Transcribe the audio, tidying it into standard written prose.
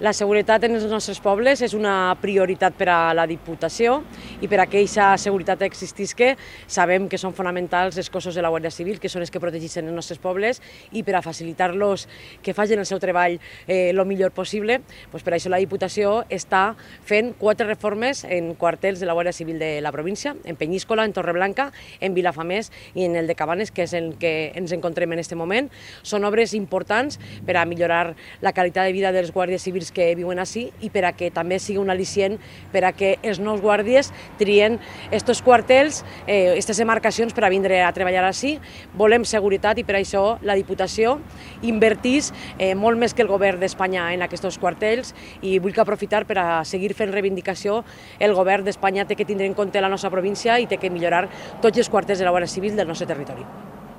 La seguretat en els nostres pobles és una prioritat per a la Diputació i per a que aquesta seguretat existisca sabem que són fonamentals els cossos de la Guàrdia Civil, que són els que protegeixen els nostres pobles, i per a facilitar-los que facin el seu treball el millor possible, doncs per això la Diputació està fent 4 reformes en quartels de la Guàrdia Civil de la província, en Penyíscola, en Torreblanca, en Vilafamés i en el de Cabanes, que és el que ens encontrem en aquest moment. Són obres importants per a millorar la qualitat de vida dels guàrdies civils que viuen així i per a que també sigui un al·licient per a que els nous guàrdies trien aquests quartels, aquestes demarcacions per a vindre a treballar així. Volem seguretat i per això la Diputació invertís molt més que el govern d'Espanya en aquests quartels, i vull aprofitar per a seguir fent reivindicació. El govern d'Espanya té que tindre en compte la nostra província i té que millorar tots els quartels de la Guàrdia Civil del nostre territori.